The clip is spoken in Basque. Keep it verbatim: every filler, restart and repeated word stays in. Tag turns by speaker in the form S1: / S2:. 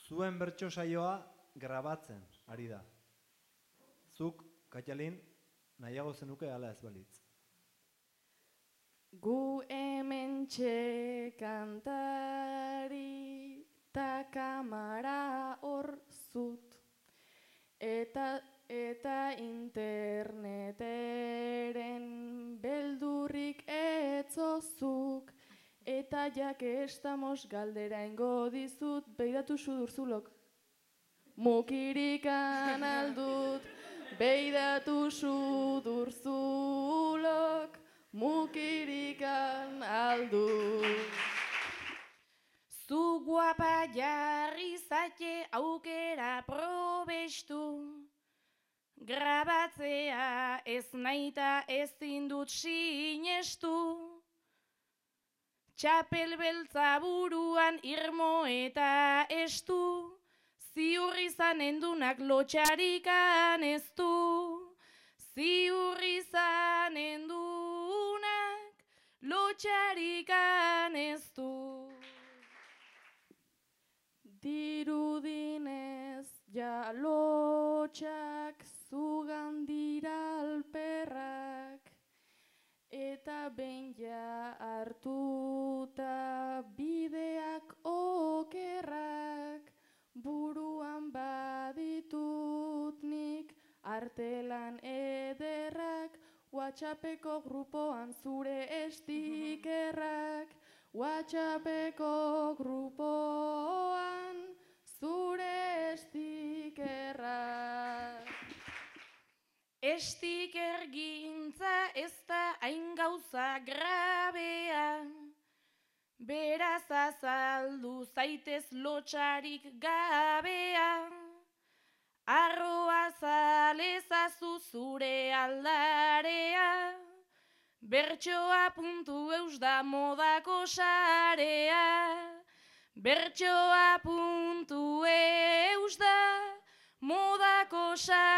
S1: zuen bertso saioa grabatzen ari da. Zuk, Katialin, nahiago zenuke ala ez balitz.
S2: Gu hementxe kantari ta kamara hor zut. Eta, eta interneteren beldurrik etzozuk. Eta jak estamos galdera ingo dizut, beidatu sudurzulok. Mukirikan aldut, beidatu sudurzulok. Mukirikan aldut.
S3: Zu guapa jarri zate aukera probestu. Grabatzea ez naita ezin dut sinestu. Txapel beltza buruan irmo eta estu. Ziur izan endunak lotxarikan ez du. Ziur izan endunak lotxarikan ez du.
S2: Dirudinez ja lotxak zugan dira alperrak. Eta behin ja hartuta bideak okerrak. Buruan baditut nik artelan ederrak. WhatsAppeko grupoan zure estikerrak. WhatsAppeko grupoan zure estikerrak.
S3: Estiker gintza ez da hain gauza grabea. Beraz azaldu zaitez lotxarik gabea. Arroa zalezazu zure aldarea. Bertsoa puntu eus da modako sarea. Bertsoa puntu eus da modako sarea.